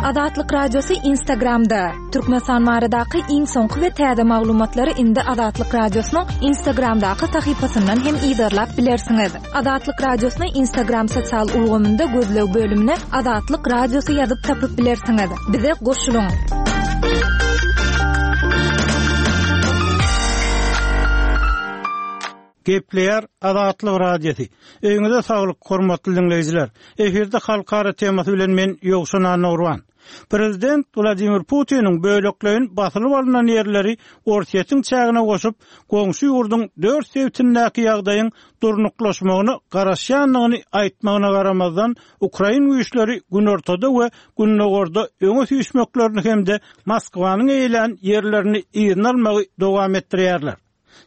Azatlyk Radiosy Instagramda, Türkmenistan baradaky iň soňky we täze maglumatlary indi Azatlyk Radiosynyň Instagramdaky sahypasyndan hem yzarlap bilersiňiz. Azatlyk Radiosyny Instagram sosial ulgamynda gözleg bölümine Azatlyk Radiosy ýazyp tapyp bilersiňiz. Bize goşulyň! Gepleýär Azatlyk Radiosy. Öýüňize saglyk, hormatly diňleýjiler! Efirde Halkara temasy bilen men Ýowşan Annagurban. Prezident Wladimir Putiniň bölekleýin basylyp alnan ýerleri Orsýetiň çägine goşup, goňşy ýurduň dört sebitindäki ýagdaýyň durnuklaşmagyna garaşýandygyny aýtmagyna garamazdan, ukrain güýçleri günortada we gündogarda öňe süýşmeklerini hem-de Moskwanyň eýelän ýerlerini yzyna almagy dowam etdirýärler.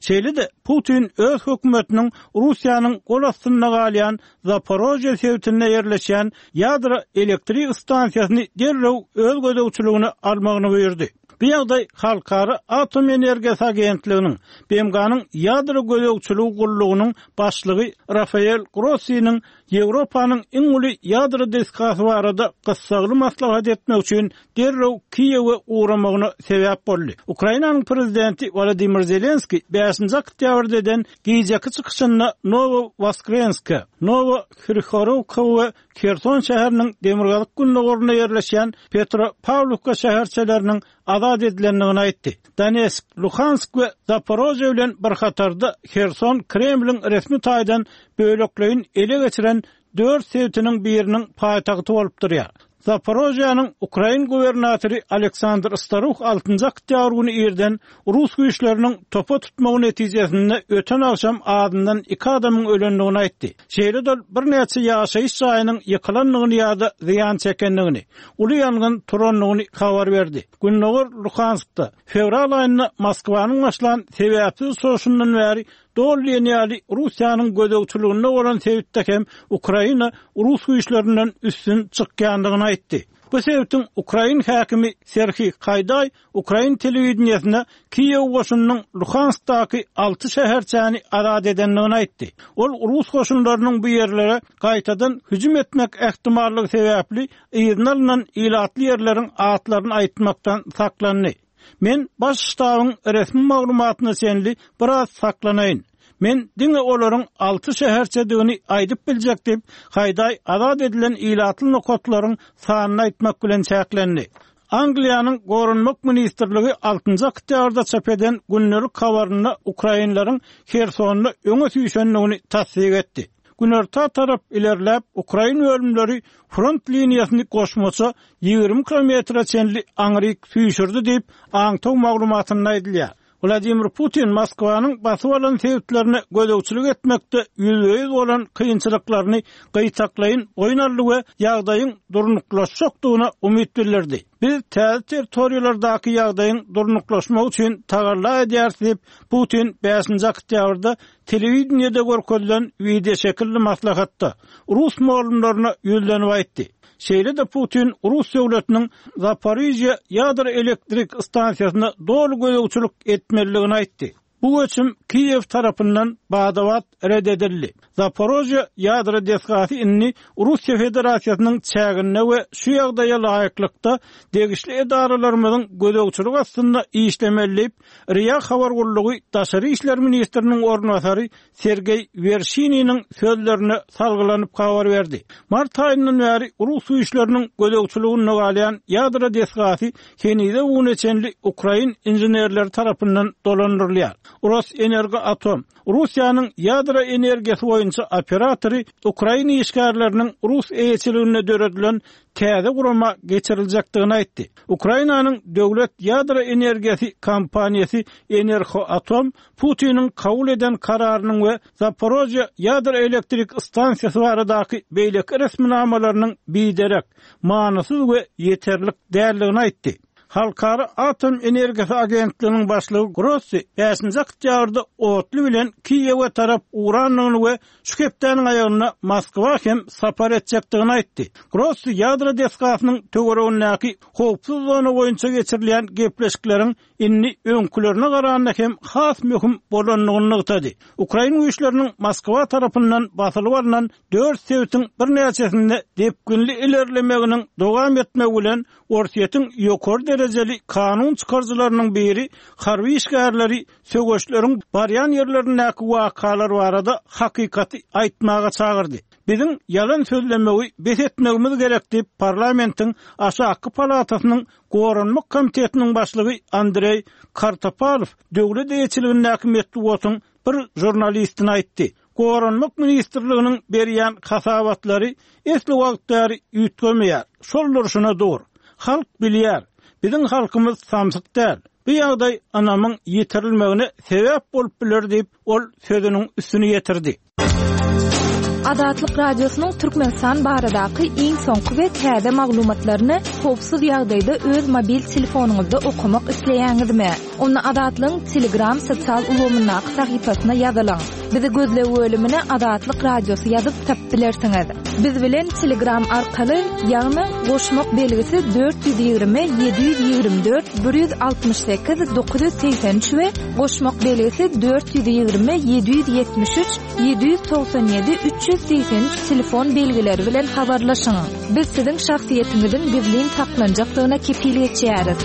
Şeýle-de, Putin öz hökümetiniň Russiýanyň gol astynda galýan Zaporožýe sebitinde ýerleşýän ýadro elektrik stansiýasyny derrew öz gözegçiligine almagyny buýurdy. Bu ýagdaý Halkara atom energiýasy agentliginiň, BMG-niň ýadro gözegçiligi gullugynyň başlygy Rafael Grossiniň Ýewropanyň iň uly ýadro desgasy barada gyssagly maslahat etmek üçin derrew Kiýewe ugramagyna sebäp boldy. Ukrainanyň prezidenti Wolodymyr Zelenskiý bäşinji oktýabrda eden gijeki çykyşynda Nowowoskrenska, Nowohryhorowka we Herson şäheriniň demirgazyk-gündogarynda ýerleşýän Petropawlowka şäherçeleriniň azat edilendigini aýtdy. Donetsk, Luhansk we Zaporožýe bilen bir hatarda Herson Kremliň resmi taýdan bölekleýin ele geçiren dört sebitiniň biriniň paýtagty bolup durýar. Zaporožýäniň ukrain gubernatory Aleksandr Staruh altynjy oktýabr güni irden rus güýçleriniň topa tutmagy netijesinde öten agşam azyndan iki adamyň ölendigini aýtdy. Şeýle-de ol birnäçe ýaşaýyş jaýynyň ýykylandygyny ýa-da zyýan çekendigini, uly ýangyn turandygyny habar berdi. Gündogar Luhanskda fewral aýynda Moskwanyň başlan sebäpsiz çoşundan bäri doly diýen ýaly Russiýanyň gözegçiliginde bolan sebitde hem Ukraina rus güýçlerinden üstün çykýandygyny aýtdy. Bu sebitiň ukrain häkimi Serhiý Haýdaý ukrain telewideniýesine Kiýew goşunynyň Luhanskdaky alty şäherçäni azat edendigini aýtdy. Ol rus goşunlarynyň bu ýerlere gaýtadan hüjüm etmek ähtimallygy sebäpli yzyna alnan ilatly ýerleriň atlaryny aýtmakdan saklandy. Men Baş ştabyň resmi maglumatyna çenli biraz saklanaýyn. Men diňe olaryň alty şäherçedigini aýdyp biljek diýip, Haýdaý azat edilen ilatly nokatlaryň sanyny aýtmak bilen çäklendi. Angliýanyň Goranmak ministrligi altynjy oktýabrda çap eden gündelik habarynda ukrainleriň Hersonda öňe süýşendigini tassyk etdi. Günorta tarap ilerläp, ukrain bölümleri front liniýasyny goşmaça 20 kilometre çenli aňryk süýşürdi diýip, aňtaw maglumatynda aýdylýar. Wladimir Putin Moskwanyň basyp alan sebitlerine gözegçilik etmekde ýüzbe-ýüz bolan kynçylyklaryny gytaklaýyn boýun aldy we ýagdaýyň durnuklaşjakdygyna umyt bildirdi. Biz täze territoriýalardaky ýagdaýyň durnuklaşmagy üçin tagalla edýäris diýip, Putin bäşinji oktýabrda telewideniýede görkezilen wideoşekilli maslahatda rus mugallymlaryna ýüzlenip aýtdy. Şeýle-de Putin rus döwletiniň Zaporižýa ýadro elektrik stansiýasyna doly gözegçilik etmelidigini aýtdy. Bu göçüm Kiýew tarapyndan bada-bat ret edildi. Zaporožýa ýadro desgasy indi Russiýa Federasiýasynyň çäginde we şu ýagdaýa laýyklykda degişli edaralarymyzyň gözegçiligi astynda işlemeli diýip, RIA habar gullugy daşary işler ministriniň orunbasary Sergeý Werşininiň sözlerine salgylanyp habar berdi. Mart aýyndan bäri rus güýçleriniň gözegçiliginde galýan ýadro desgasy henize-bu güne çenli ukrain inženerleri tarapyndan dolandyrylýar. Rosenergoatom, Russiýanyň ýadro energiýasy boýunça operatory ukrain işgärleriniň rus eýeçiliginde döredilen täze gurama geçiriljekdigini aýtdy. Ukrainanyň döwlet ýadro energiýasy kompaniýasy Enerhoatom Putiniň kabul eden kararynyň we Zaporožýe ýadro elektrik stansiýasy baradaky beýleki resminamalarynyň biderek, manysyz we ýeterlik däldigini aýtdy. Halkara atom energiýasy agentliginiň başlygy Grossi bäşinji oktýabrda otly bilen Kiýewe tarap ugrandygyny we şu hepdäniň aýagynda Moskwa hem sapar etjekdigini aýtdy. Grossi ýadro desgasynyň töweregindäki howpsuz zona boýunça geçirilýän gepleşikleriň indi öňkülerine garanda hem has möhüm bolandygyny nygtady. Ukrain güýçleriniň Moskwa tarapyndan basylyp alnan dört sebitiň birnäçesinde depginli ilerlemeginiň dowam etmegi bilen Orsýetiň ýokary derejeli kanun çykaryjylarynyň biri harby işgärleri söweşleriň barýan ýerlerindäki wakalar barada hakykaty aýtmaga çagyrdy. Biziň ýalan sözlemegi bes etmegimiz gerek diýip, parlamentiň aşakky palatasynyň Goranmak komitetiniň başlygy Andreý Kartapalow döwlet eýeçiligindäki metbugatyň bir žurnalistine aýtdy. Goranmak ministrliginiň berýän hasabatlary esli wagt bäri üýtgemeýär, şol durşuna dur. Halk bilýär, biziň halkymyz samsyk däl. Bu ýagdaý ynamyň ýitirilmegine sebäp bolup biler diýip, ol sözüniň üstüni ýetirdi. Azatlyk Radiosynyň Türkmenistan baradaky iň soňky we täze maglumatlaryny howpsuz ýagdaýda öz mobil telefonyňyzda okamak isleýäňizmi? Onda Azatlygyň Telegram sosial ulgamyndaky sahypasyna ýazylyň. Bizi gözleg bölümine Azatlyk Radiosy ýazyp tapyp bilersiňiz. Biz bilen Telegram arkaly, ýagny goşmak belgisi 420 724 168 983 we goşmak belgisi 420 773 797 383 telefon belgileri bilen habarlaşyň. Biz siziň şahsyýetiňiziň gizlin saklanjakdygyna kepil geçýäris.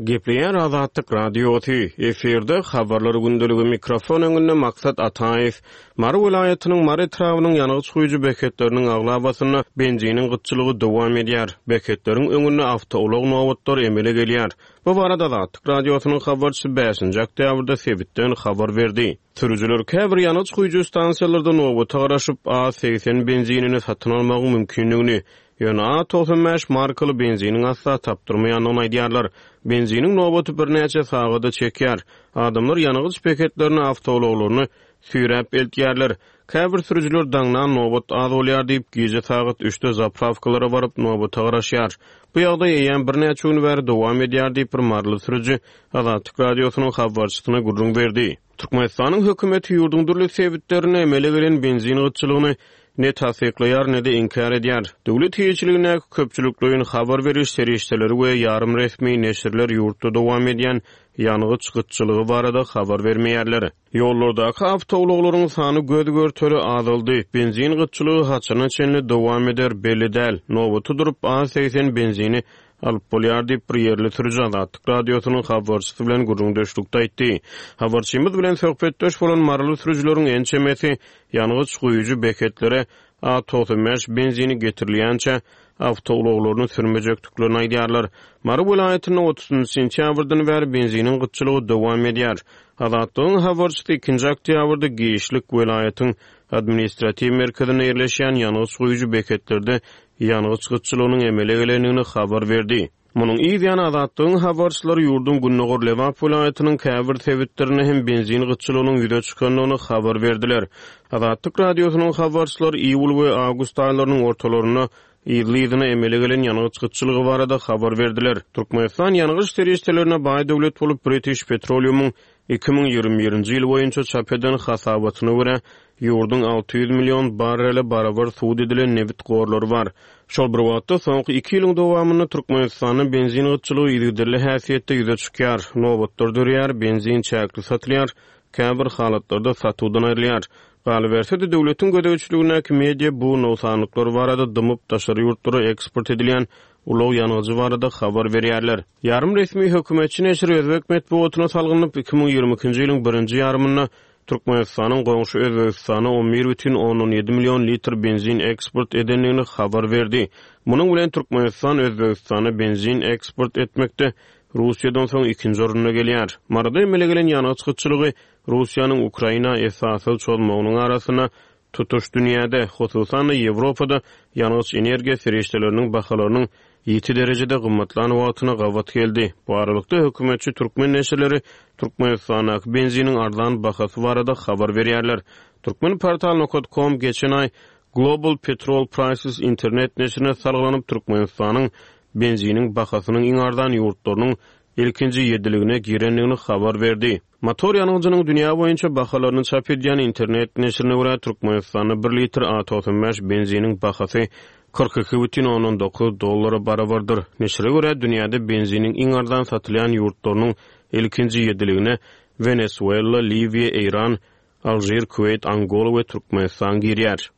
Gepleýär Azatlyk Radiosy, efirde Habarlar gündeligi, mikrofon öňünde Maksat Ataýew. Mary welaýatynyň Mary etrabynyň ýangyç guýujy beketleriniň aglabasynda benziniň gytçylygy dowam edýär. Beketleriň öňünde awtoulag nobatlary emele gelýär. Bu barada Azatlyk Radiosynyň habarçysy bäşinji oktýabrda sebitden habar berdi. Sürüjiler käbir ýangyç guýujy stansiýalarda nobata garaşyp, A 80 benzinini satyn almagyň mümkindigini, ýöne A 95 markaly benziniň asla tapdyrmaýandygyny aýdýarlar. Benziniň nobaty birnäçe sagada çekýär. Adamlar ýangyç beketlerine awtoulaglaryny süýräp eltýärler. Käbir sürüjiler daňdan nobat az bolýar diýip, gije sagat üçde zaprawkalara baryp, nobata garaşýar. Bu ýagdaý eýýäm birnäçe gün bäri dowam edýär diýip, bir maryly sürüji Azatlyk Radiosynyň habarçysyna gürrüň berdi. Türkmenistanyň hökümeti ýurduň dürli sebitlerinde emele gelen benzin gytçylygyny ne tassyklaýar, ne-de inkär edýär. Döwlet eýeçiligindäki köpçülikleýin habar beriş serişdeleri we ýarym resmi neşirler ýurtda dowam edýän ýangyç gytçylygy barada habar bermeýärler. Ýollardaky awtoulaglaryň sany göz-görtele azaldy. Benzin gytçylygy haçana çenli dowam eder, belli däl. Nobata durup, az 80 benzini alyp bolýar diýip, bir ýerli sürüji Azatlyk Radiosynyň habarçysy bilen gürrüňdeşlikde aýtdy. Habarçymyz bilen söhbetdeş bolan maryly sürüjileriň ençemesi ýangyç guýujy beketlere A 95 benzini getirilýänçä awtoulaglaryny sürmejekdiklerini aýdýarlar. Mary welaýatynda otuzynjy sentýabrdan bäri benziniň gytçylygy dowam edýär. Azatlygyň habarçysy ikinji oktýabrda giçlik welaýatyň administratiw merkezinde ýerleşýän ýangyç guýujy beketlerde ýangyç gytçylygynyň emele gelendigini habar berdi. Munuň yz ýany Azatlygyň habarçylary ýurduň gündogar Lebap welaýatynyň käbir sebitlerinde hem benzin gytçylygynyň ýüze çykandygyny habar berdiler. Azatlyk Radiosynyň habarçylary iýul we awgust aýlarynyň ortalarynda yzly-yzyna emele gelen ýangyç gytçylygy barada habar berdiler. Türkmenistan ýangyç serişdelerine baý döwlet bolup, British Petroleum-yň 2021-nji ýyl boýunça çap eden hasabatyna görä, ýurduň 600 million barrele barabar subut edilen nebit gorlary bar. Şol bir wagtda, soňky iki ýylyň dowamynda Türkmenistanda benzin gytçylygy yzygiderli häsiýetde ýüze çykýar, nobatlar döreýär, benzin çäkli satylýar, käbir halatlarda satuwdan aýrylýar. Galyberse-de, döwletiň gözegçiligindäki media bu nogsanlyklar barada dymyp, daşary ýurtlara eksport edilýän ulag ýangyjy barada habar berýärler. Ýarym resmi hökümetçi neşir özbek metbugatyna salgylanyp, 2022-nji ýylyň birinji ýarymynda Türkmenistanyň goňşy Özbegistana 11,7 million litr benzin eksport edendigini habar berdi. Munuň bilen Türkmenistan Özbegistana benzin eksport etmekde Russiýadan soň ikinji orunda gelýär. Maryda emele gelen ýangyç gytçylygy Russiýanyň Ukraina esassyz çozmagynyň arasynda tutuş dünýäde, hususan-da Ýewropada ýangyç-energiýa serişdeleriniň bahalarynyň ýiti derejede gymmatlan wagtyna gabat geldi. Bu aralykda, hökümetçi türkmen neşirleri Türkmenistandaky benziniň arzan bahasy barada habar berýärler. Turkmenportal nokat kom geçen aý Global Petrol Prices internet neşirine salgylanyp, Türkmenistanyň. benziniň bahasynyň iň arzan ýurtlarynyň ilkinji ýediligine girendigini habar berdi. Motor ýangyjynyň dünýä boýunça bahalaryny çap edýän internet neşirine görä, Türkmenistanda bir litr A 95 benziniň bahasy 42,9 dollara barabardyr. Neşire görä, dünýäde benziniň iň arzan satylýan ýurtlarynyň ilkinji ýediligine Wenesuela, Liwiýa, Eýran, Alžir, Kuweýt, Angola we Türkmenistan girýär.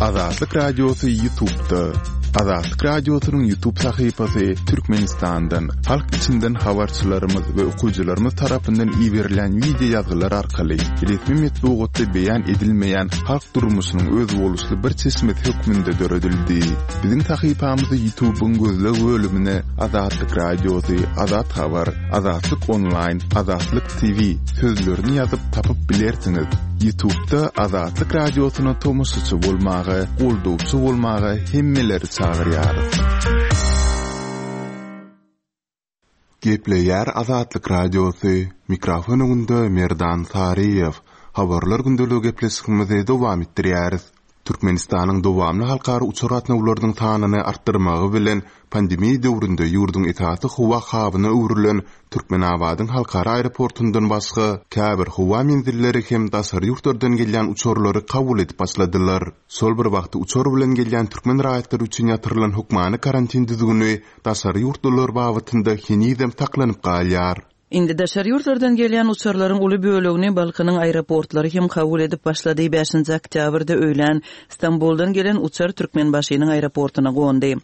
Azatlyk Radiosy Ýutubda. Azatlyk Radiosynyň Ýutub sahypasy Türkmenistandan, halk içinden habarçylarymyz we okyjylarymyz tarapyndan iberilýän wideo ýazgylar arkaly resmi metbugatda beýan edilmeýän halk durmuşynyň özboluşly bir çeşmesi hökmünde döredildi. Biziň sahypamyzy Ýutubyň gözleg bölümine Azatlyk Radiosy, Azat Habar, Azatlyk Onlaýn, Azatlyk TV sözlerini ýazyp tapyp bilersiňiz. Ýutubda Azatlyk Radiosyna tomaşaçy bolmaga, goldawçy bolmaga hemmeleri çagyrýarys. Gepleýär Azatlyk Radiosy, mikrofon öňünde Merdan Saryýew. Habarlar gündeligi gepleşigimizi dowam etdirýäris. Türkmenistanyň dowamly halkara uçar gatnawlarynyň sanyny artdyrmagy bilen, pandemiýa döwründe ýurduň esasy howa habyna öwrülen Türkmenabadyň halkara aeroportundan başga, käbir howa menzilleri hem daşary ýurtlardan gelýän uçarlary kabul edip başladylar. Şol bir wagtda uçar bilen gelýän türkmen raýatlary üçin ýatyrylan hökmany karantin düzgüni daşary ýurtlular babatynda henizem saklanyp galýar. Indi daşary ýurtlardan gelýän uçarlaryň uly bölegini Balkanyň aeroportlary hem kabul edip başlady. Bäşinji oktýabrda öýlän Stambuldan gelen uçar Türkmenbaşynyň aeroportuna gondy.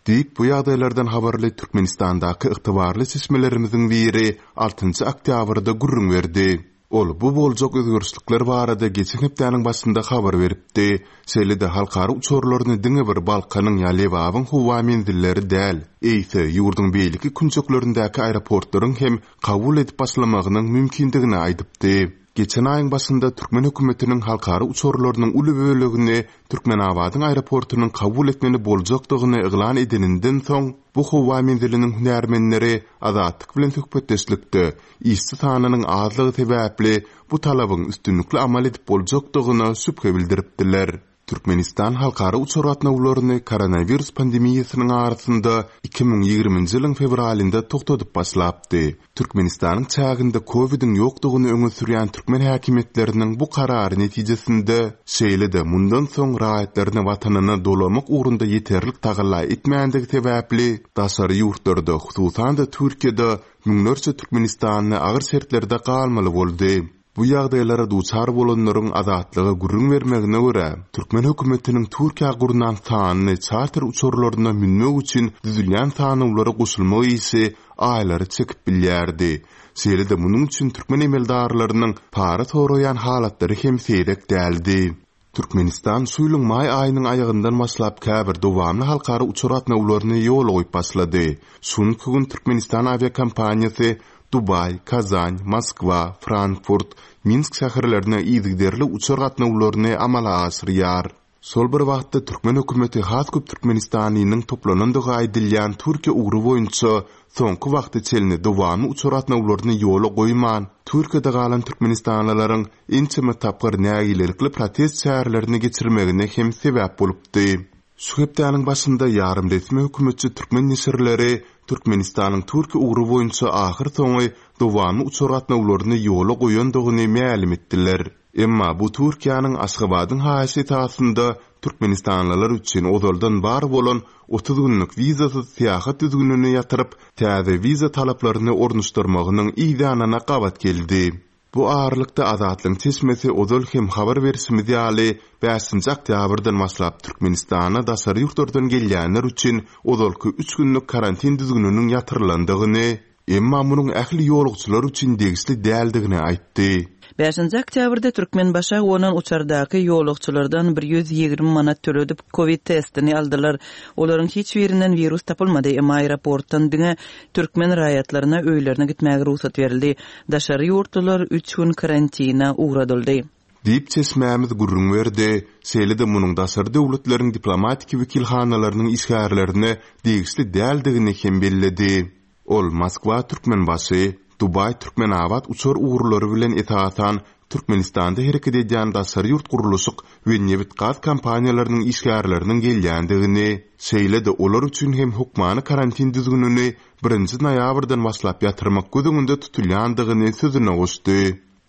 Diýip, bu ýagdaýlardan habarly Türkmenistandaky ygtybarly çeşmelerimiziň biri altynjy oktýabrda gürrüň berdi. Ol bu boljak özgerişlikler barada geçen hepdäniň başynda habar beripdi. Şeýle-de halkara uçarlaryny diňe bir Balkanyň ýa Lebabyň howa menzilleri däl, eýse, ýurduň beýleki künjeklerindäki aeroportlaryň hem kabul edip başlamagynyň mümkindigini aýdypdy. Geçen aýyň başynda türkmen hökümetiniň halkara uçarlarynyň uly bölegini Türkmenabadyň aeroportunyň kabul etmeli boljakdygyny yglan edeninden soň, bu howa menziliniň hünärmenleri Azatlyk bilen söhbetdeşlikde işçi sanynyň azlygy sebäpli bu talabyň üstünlikli amal edip boljakdygyna şübhe bildiripdiler. Türkmenistan halkara uçar gatnawlaryny koronawirus pandemiýasynyň arasynda 2020-nji ýylyň fewralynda togtadyp başlapdy. Türkmenistanyň çäginde kowidiň ýokdugyny öňe sürýän türkmen häkimiýetleriniň bu karary netijesinde, şeýle-de mundan soň raýatlaryny watanyna dolamak ugrunda ýeterlik tagalla etmändigi sebäpli, daşary ýurtlarda, hususan-da Türkiýede Müňlerçe türkmenistanly agyr şertlerde galmaly boldy. Bu ýagdaýlara duçar bolanlaryň Azatlyga gürrüň bermegine görä, türkmen hökümetiniň Türkiýä gurnan sanly çarter uçarlaryna münmek üçin düzülýän sanawlara goşulmak işi aýlary çekip bilýärdi. Şeýle-de munuň üçin türkmen emeldarlarynyň para soraýan halatlary hem seýrek däldi. Türkmenistan şu ýylyň maý aýynyň aýagyndan başlap käbir dowamly halkara uçar gatnawlaryny ýola goýup başlady. Şu günki gün Türkmenistan awiakompaniýasy Dubaý, Kazan, Moskwa, Frankfurt, Minsk şäherlerine yzygiderli uçar gatnawlaryny amala aşyrýar. Şol bir wagtda türkmen hökümeti has köp türkmenistanlynyň toplanandygy aýdylýan Türkiýe ugry boýunça soňky wagta çenli dowamly uçar gatnawlaryny ýola goýman, Türkiýede galan türkmenistanlylaryň ençeme tapgyr nägilelikli protest çärelerini geçirmegine hem sebäp bolupdy. Şu hepdäniň başynda ýarym resmi hökümetçi türkmen neşirleri Türkmenistanyň Türkiýe ugry boýunça ahyrsoňy dowamly uçar gatnawlaryny ýola goýandygyny mälim etdiler. Emma bu Türkiýäniň Aşgabadyň haýyşy esasynda türkmenistanlylar üçin ozaldan bar bolan 30 günlük wizasyz syýahat düzgünini ýatyryp, täze wiza talaplaryny ornaşdyrmagynyň yzýanyna gabat geldi. Bu aralykda Azatlygyň çeşmesi ozal hem habar berşimiz ýaly, bäşinji oktýabrdan başlap Türkmenistana daşary ýurtlardan gelýänler üçin ozalky üç günlük karantin düzgüniniň ýatyrylandygyny, emma munuň ähli ýolagçylar üçin degişli däldigini aýtdy. Bäşinji oktýabrda Türkmenbaşa gonan uçardaky ýolagçylardan 120 manat töledip, kowid testini aldylar. Olaryň hiç birinden wirus tapylmady, emma aeroportdan diňe türkmen raýatlaryna öýlerine gitmäge rugsat berildi. Daşary ýurtlular üç gün karantina ugradyldy. Diýip, çeşmämiz gürrüň berdi. Şeýle-de munuň daşary döwletleriň diplomatiki wekilhanalarynyň işgärlerine degişli däldigini hem belledi. Ol Moskwa-Türkmenbaşy, Dubaý-Türkmenabat uçar ugurlary bilen esasan. Türkmenistanda hereket edýän daşary ýurt gurluşyk we nebit-gaz kompaniýalarynyň işgärleriniň gelýändigini, şeýle-de olar üçin hem hökmany karantin düzgünini birinji noýabrdan başlap ýatyrmak göz öňünde tutulýandygyny sözüne goşdy.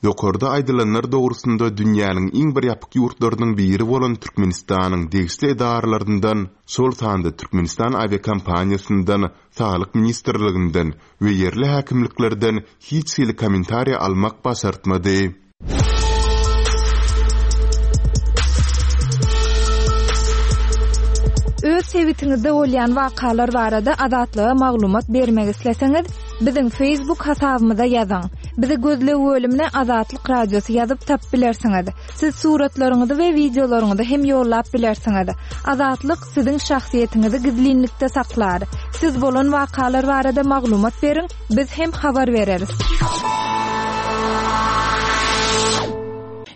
Ýokarda aýdylanlar dogrusynda dünýäniň iň bir ýapyk ýurtlarynyň biri bolan Türkmenistanyň degişli edaralaryndan, şol sanda Türkmenistan awiakompaniýasyndan, Saglyk ministrliginden we ýerli häkimliklerden hiç hili kommentariý almak başartmady. Öz sebitiňizde bolýan wakalar barada Azatlyga maglumat bermek isleseňiz, biziň Facebook hasabymyza ýazyň. Bizi gözleg bölümine Azatlyk Radiosy ýazyp tapyp bilersiňiz. Siz suratlaryňyzy we wideolaryňyzy hem ýollap bilersiňiz. Azatlyk siziň şahsyýetiňizi gizlinlikde saklar. Siz bolan wakalar barada maglumat beriň, biz hem habar bereris.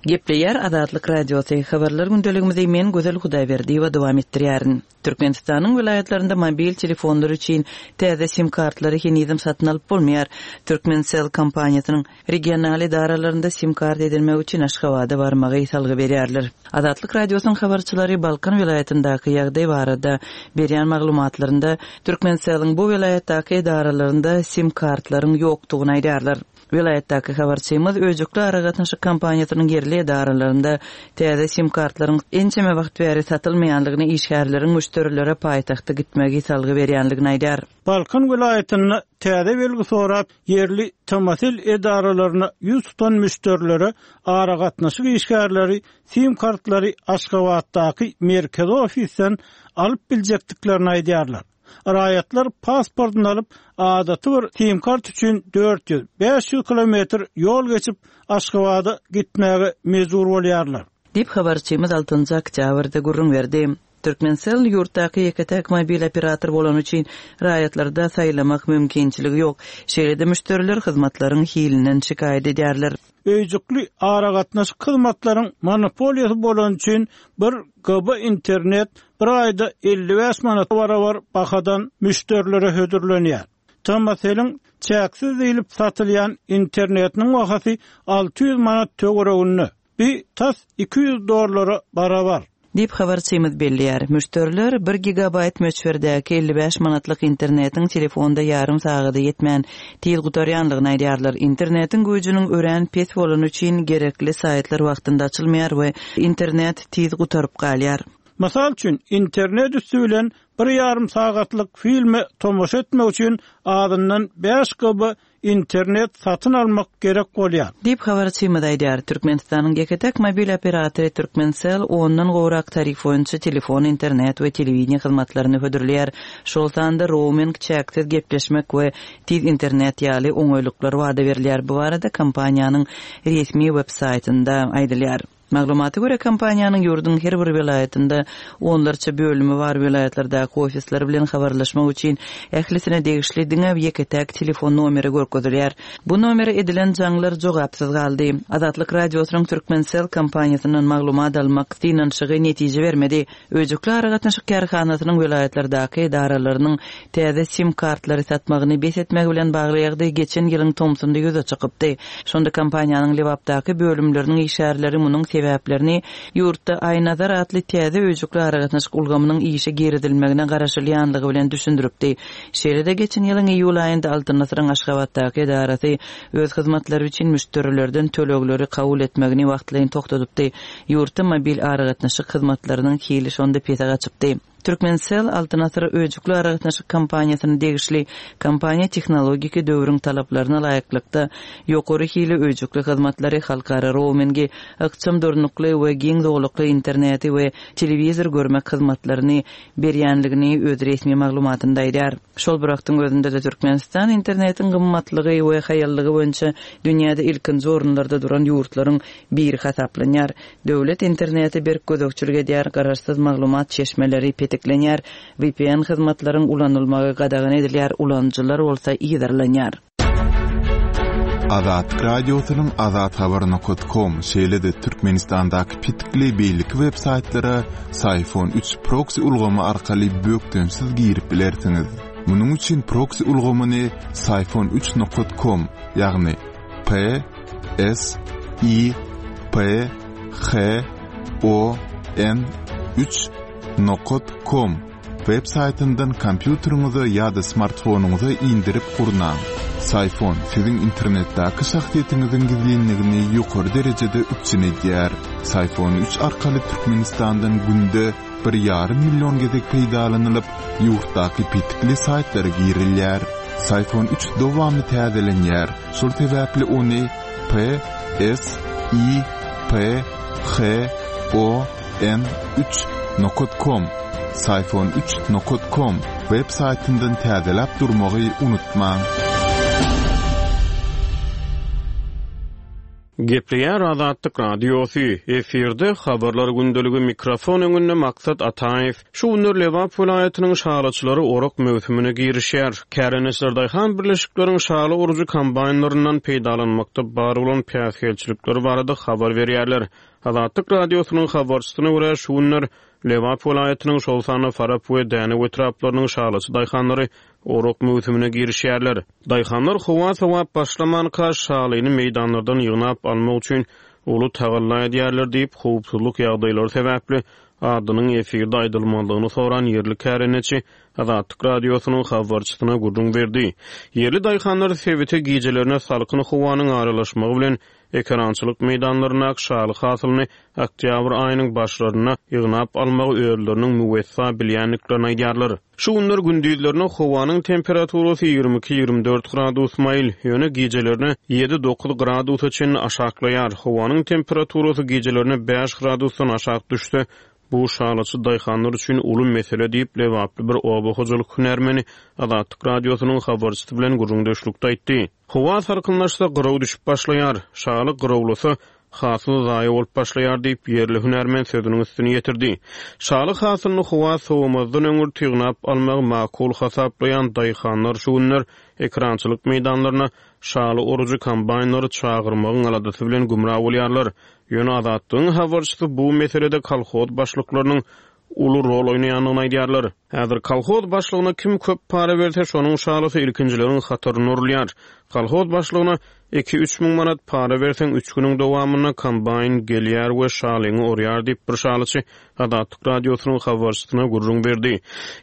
Gepleýär Azatlyk Radiosy, Habarlar gündeligimizi men Gözel Hudaýberdiýewa dowam etdirýärin. Türkmenistanyň welaýatlarynda mobil telefonlar üçin täze sim kartlary henizem satyn alyp bolmaýar. Turkmencell kompaniýasynyň regional edaralarynda sim kart edinmek üçin Aşgabada barmagy salgy berýärler. Azatlyk Radiosynyň habarçylary Balkan welaýatyndaky ýagdaý barada berýän maglumatlarynda Turkmencelliň bu welaýatdaky edaralarynda sim kartlaryň ýokdugyny aýdýarlar. Welaýatdaky habarçymyz öýjükli aragatnaşyk kompaniýasynyň ýerli edaralarynda täze sim-kartlaryň ençeme wagt bäri satylmaýandygyny, işgärleriň müşderilere paýtagta gitmegi salgy berýändigini aýdýar. Balkan welaýatynda täze belgi sorap, ýerli TMSL edaralaryna ýüz tutan müşderilere aragatnaşyk işgärleri sim-kartlary Aşgabatdaky merkezi ofisden alyp biljekdiklerini aýdýarlar. Raýatlar pasportyny alyp, adaty bir sim-kart üçin 400, 500 kilometr ýol geçip, Aşgabada gitmäge mejbur bolýarlar. Diýip, habarçymyz altynjy oktýabrda gürrüň berdi. Turkmencell ýurtdaky ýeke-täk mobil operator bolany üçin raýatlarda saýlamak mümkinçiligi ýok. Şeýle-de müşderiler hyzmatlaryň hilinden şikaýat edýärler. Öýjükli aragatnaşyk hyzmatlaryň monopoliýasy bolany üçin bir GB internet bir aýda 55 manata barabar bahadan müşderilere hödürlenýär. TMSL-iň çäksiz diýlip satylýan internetiniň bahasy 600 manat töwereginde. Bi tas 200 dollara barabar. Diýip, habarçymyz belleýär. Müşderiler bir gigabaýt möçberdäki 55 manatlyk internetiň telefonda ýarym sagada ýetmän, tiz gutarýanlygyny aýdýarlar. Internetiň güýjüniň örän pes bolany üçin gerekli saýtlar wagtynda açylmaýar we internet tiz gutaryp galýar. Mysal üçin, internet üsti bilen bir ýarym sagatlyk filme tomaşa etmek üçin azyndan bäş GB internet satyn almak gerek bolýar. Diýip, habarçymyz aýdýar. Türkmenistanyň ýeke-täk mobil operatory Turkmencell ondan gowrak tarif boýunça telefon, internet we telewideniýe hyzmatlaryny hödürleýär. Şol sanda rouming, çäksiz gepleşmek we tiz internet ýaly oňaýlyklar wada berilýär. Bu barada kompaniýanyň resmi web-saýtynda aýdylýar. Maglumata görä, kompaniýanyň ýurduň her bir welaýatynda onlarça bölümi bar, welaýatlardaky ofisler bilen habarlaşmak üçin ählisine degişli diňe ýeke-täk telefon nomeri görkezilýär. Bu nomere edilen jaňlar jogapsyz galdy. Azatlyk Radiosynyň Turkmencell kompaniýasyndan maglumat almak synanyşygy netije bermedi. Öýjükli aragatnaşyk kärhanasynyň welaýatlardaky edaralarynyň täze sim kartlary satmagyny bes etmegi bilen bagly ýagdaý geçen ýylyň tomsunda ýüze çykypdy. Şonda kompaniýanyň Lebapdaky bölümleriniň işgärleri munuň sebäplerini ýurtda Aýnazar atly täze öýjükli aragatnaşyk ulgamynyň işe girizilmegine garaşylýanlygy bilen düşündiripdi. Şeýle-de geçen ýylyň iýul aýynda Altyn asyryň Aşgabatdaky edarasy öz hyzmatlary üçin müşderilerden tölegleri kabul etmegini wagtlaýyn togtadypdy. Ýurtda mobil aragatnaşyk hyzmatlarynyň hili şonda pese gaçypdy. Turkmencell Altyn asyr öýjükli aragatnaşyk kompaniýasyna degişli kompaniýa tehnologiki döwrüň talaplaryna laýyklykda ýokary hili öýjükli hyzmatlary, halkara roumingi, ykjam durnukly we giň zolakly interneti we telewizor görmek hyzmatlaryny berýänligini öz resmi maglumatynda aýdýar. Şol bir wagtyň özünde-de Türkmenistan internetiň gymmatlygy we haýallygy boýunça dünýäde ilkinji orunlarda duran ýurtlaryň biri hasaplanýar. Döwlet internete berk gözegçilik edýär, garaşsyz maglumat çeşmeleri petiklenýär, vpn hyzmatlaryň ulanylmagy gadagan edilýär, ulanyjylar bolsa yzarlanýar. Azatlyk Radiosynyň Azathabar nokat kom, şeýle-de Türkmenistandaky petikli beýleki web saýtlara Syfon üç proksi ulgamy arkaly bökdençsiz girip bilersiňiz. Munuň üçin proksi ulgamyny Syfon üç nokat kom, ýagny P S I. P H O N üç nokat kom web saýtyndan kompýuteriňize ýa-da smartfonyňyza indirip gurnaň. Syfon siziň internetdäki şahsyýetiňiziň gizlinligini ýokary derejede üpjün edýär. Syfon üç arkaly Türkmenistandan günde bir ýarym million gezek peýdalanylyp, ýurtdaky petikli saýtlara girilýär. Syfon üç dowamly täzelenýär, şol sebäpli ony P S I P H O N üç nokat kom, Syfon üç nokat kom, web saýtyndan täzeläp durmagy unutmaň. Gepleýär Azatlyk Radiosy, efirde Habarlar gündeligi mikrofon öňünde Maksat Ataýew. Şu günler Lebap welaýatynyň şalyçylary orak möwsümine girişýär. Kärendeçiler daýhan birleşikleriň şaly orujy kombaýnlaryndan peýdalanmakda bar bolan päsgelçilikler barada habar berýärler. Azatlyk Radiosynyň habarçysyna görä, şu günler Lebap welaýatynyň, şol sanda Farap we Dänew etraplarynyň şalyçy daýhanlary orak möwsümine girişýärler. Daýhanlar howa sowap başlamanka, şalyny meýdanlardan ýygnap almak üçin uly tagalla edýärler diýip, howpsuzlyk ýagdaýlary sebäpli adynyň efirde aýdylmazlygyny soran ýerli kärendeçi Azatlyk Radiosynyň habarçysyna gürrüň berdi. Ýerli daýhanlar sebite gijelerine salkyn howanyň aralaşmagy bilen ekerançylyk meýdanlaryndaky şaly hasylyny oktýabr aýynyň başlarynda ýygnap almagy özleriniň müwessa bilýändiklerini aýdýarlar. Şu günler gündizlerine howanyň temperaturasy 22, 24 gradus maýyl, ýöne gijelerine ýedi, dokuz gradusa çenli aşaklaýar. Howanyň temperaturasy gijelerine bäş gradusdan aşak düşse, bu şalyçy daýhanlar üçin uly mesele diýip, lebaply bir oba hojalyk hünärmeni Azatlyk Radiosynyň habarçysy bilen gürrüňdeşlikde aýtdy. Howa salkynlaşsa, gyraw düşüp başlaýar. Şaly gyrawlasa, hasyl zaýa bolup başlaýar diýip, ýerli hünärmen sözüniň üstüni ýetirdi. Şaly hasylyny howa sowamazdan öňürti ýygnap almagy makul hasaplaýan daýhanlar şu günler ekerançylyk meýdanlaryna şaly orujy kombaýnlary çagyrmagyň aladasy bilen gümra bolýarlar. Ýöne Azatlygyň habarçysy bu meselede kolhoz başlyklarynyň uly rol oýnaýandygyny aýdýarlar. Häzir kolhoz başlygyna kim köp para berse, şonuň şalysy ilkinjileriň hatarynda orulýar. Kolhoz başlygyna iki-üç müň manat para berseň, üç günüň dowamynda kombaýn gelýär we şalyňy orýar diýip, bir şalyçy Azatlyk Radiosynyň habarçysyna gürrüň berdi.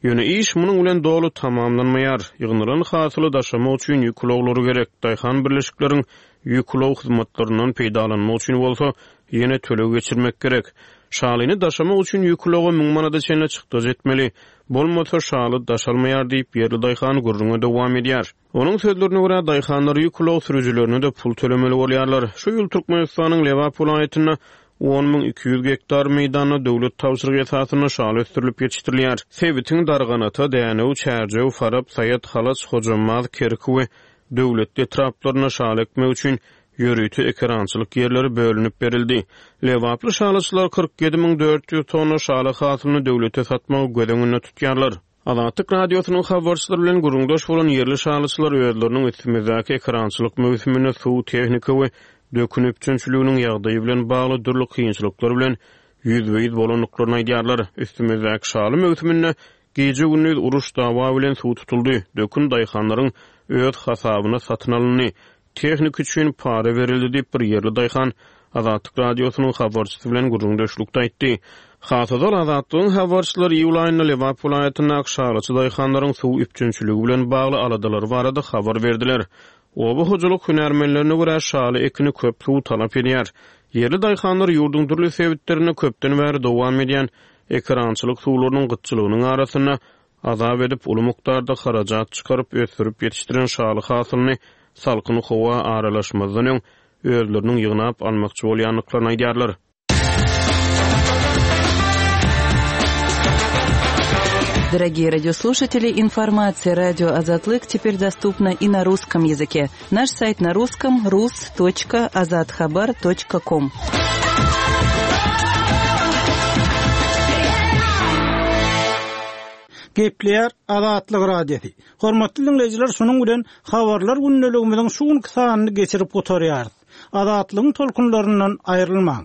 Ýöne iş munuň bilen doly tamamlanmaýar. Ýygnalan hasyly daşamak üçin ýük ulaglary gerek. Daýhan birleşikleriň ýük ulag hyzmatlaryndan peýdalanmak üçin bolsa, ýene töleg geçirmek gerek. Şalyny daşamak üçin ýük ulaga müň manada çenli çykdajy etmeli. Bolmasa, şaly daşalmaýar diýip, ýerli daýhan gürrüňe dowam edýär. Onuň sözlerine görä, daýhanlar ýük ulag sürüjilerine-de pul tölemeli bolýarlar. Şu ýyl Türkmenistanyň Lebap welaýatynda 10 200 gektar meýdanda döwlet tabşyrygy esasynda şaly ösdürilip ýetişdirilýär. Sebitiň Darganata, Dänew, Çärjew, Farap, Saýat, Halaç, Hojambaz, Kerki we Döwletli etraplarynda şaly ekmek üçin ýörite ekerançylyk ýerleri bölünip berildi. Lebaply şalyçylar 47 400 tonna şaly hasylyny döwlete satmagy göz öňünde tutýarlar. Azatlyk Radiosynyň habarçylary bilen gürrüňdeş bolan ýerli şalyçylar özleriniň üstümizdäki ekerançylyk möwsüminde suw, tehnika we dökün üpjünçiliginiň ýagdaýy bilen bagly dürli kynçylyklar bilen ýüzbe-ýüz bolandyklaryny aýdýarlar. Üstümizdäki şaly möwsüminde Gije-gündiz uruş-dawa bilen suw tutuldy, dökün daýhanlaryň öz hasabyna satyn alyndy, tehnika üçin para berildi diýip, bir ýerli daýhan Azatlyk Radiosynyň habarçysy bilen gürrüňdeşlikde aýtdy. Has ozal Azatlygyň habarçylary iýul aýynda Lebap welaýatyndaky şalyçy daýhanlaryň suw üpjünçiligi bilen bagly aladalary barada habar berdiler. Oba hojalyk hünärmenlerine görä, şaly ekini köp suw talap edýär. Ýerli daýhanlar ýurduň dürli sebitlerinde köpden bäri dowam edýän ekerançylyk suwlarynyň gytçylygynyň arasynda azap edip, uly mukdarda harajat çykaryp ösdürip ýetişdiren şaly hasylyny salkyn howa aralaşmazdan öň özleriniň ýygnap almakçy bolýandyklaryny aýdýarlar. Дорогие радиослушатели, информация радио Азатлык теперь доступна и на русском языке. Наш сайт на русском rus.azathabar.com. Gepleýär Azatlyk Radiosy. Hormatly diňleýjiler, şunuň bilen Habarlar gündeligimiziň şu günki sanyny geçirip gutarýarys. Azatlygyň tolkunlaryndan aýrylmaň!